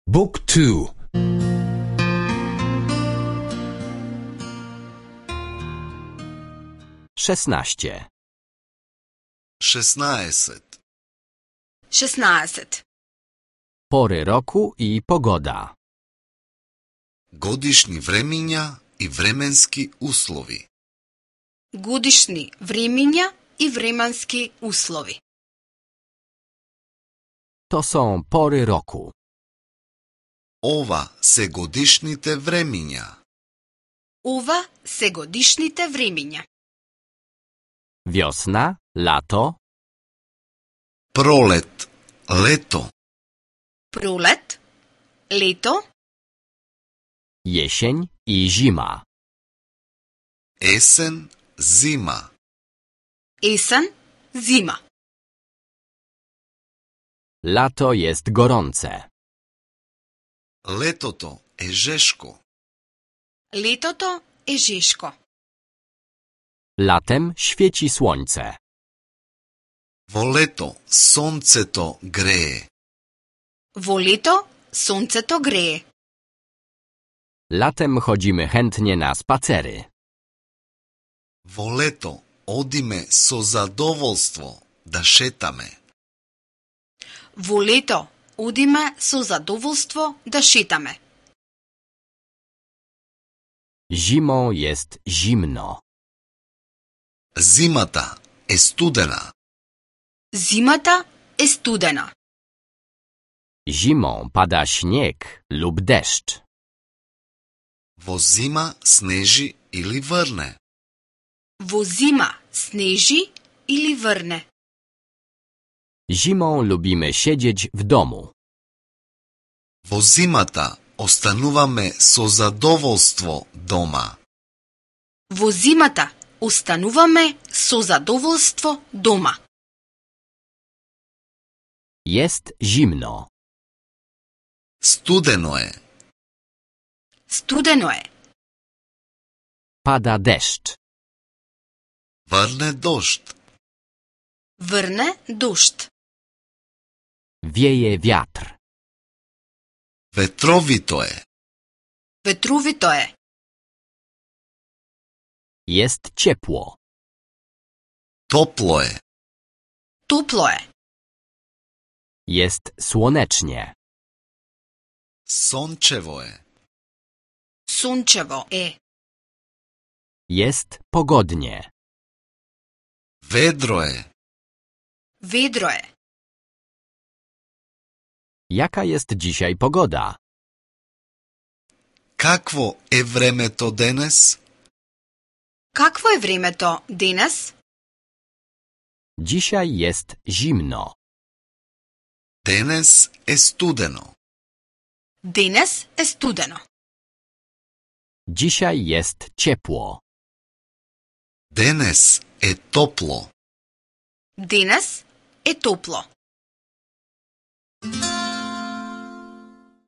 Book 2. 16. 16. 16. Pory roku i pogoda. Godišnji vremenja i vremenski uslovi. Годишни времења и временски услови. To są pory roku. Ова се годишните времења. Ова се годишните времења. Wiosna, lato, Пролет, лето, Пролет, лето, jesień i zima. есен, зима. есен, зима. Lato jest gorące. Летото е жешко. Летото е жешко. Latem świeci słońce. Во лето сонцето грее. Во лето сонцето грее. Latem chodzimy chętnie na spacery. Во лето одиме со задоволство да шетаме. Во лето одиме со задоволство да шетаме. Zimą jest zimno. Зимата е студена. Зимата е студена. Zimą pada śnieg lub deszcz. Во зима снежи или врне. Во зима снежи или врне. Zimą lubimy siedzieć w domu. Во зимата остануваме со задоволство дома. Во зимата остануваме со задоволство дома. Jest zimno. Студено е. Студено е. Pada deszcz. Врне дожд. Врне дожд. Wieje wiatr. Ветровито е. Ветровито е. Jest ciepło. Топло е. Топло е. Jest słonecznie. Сончево е. Сончево е. Jest pogodnie. Ведро е. Ведро е. Jaka jest dzisiaj pogoda? Какво е времето денес? Какво е времето денес? Dzisiaj jest zimno. Денес е студено. Денес е студено. Dzisiaj jest ciepło. Денес е топло. Денес е топло.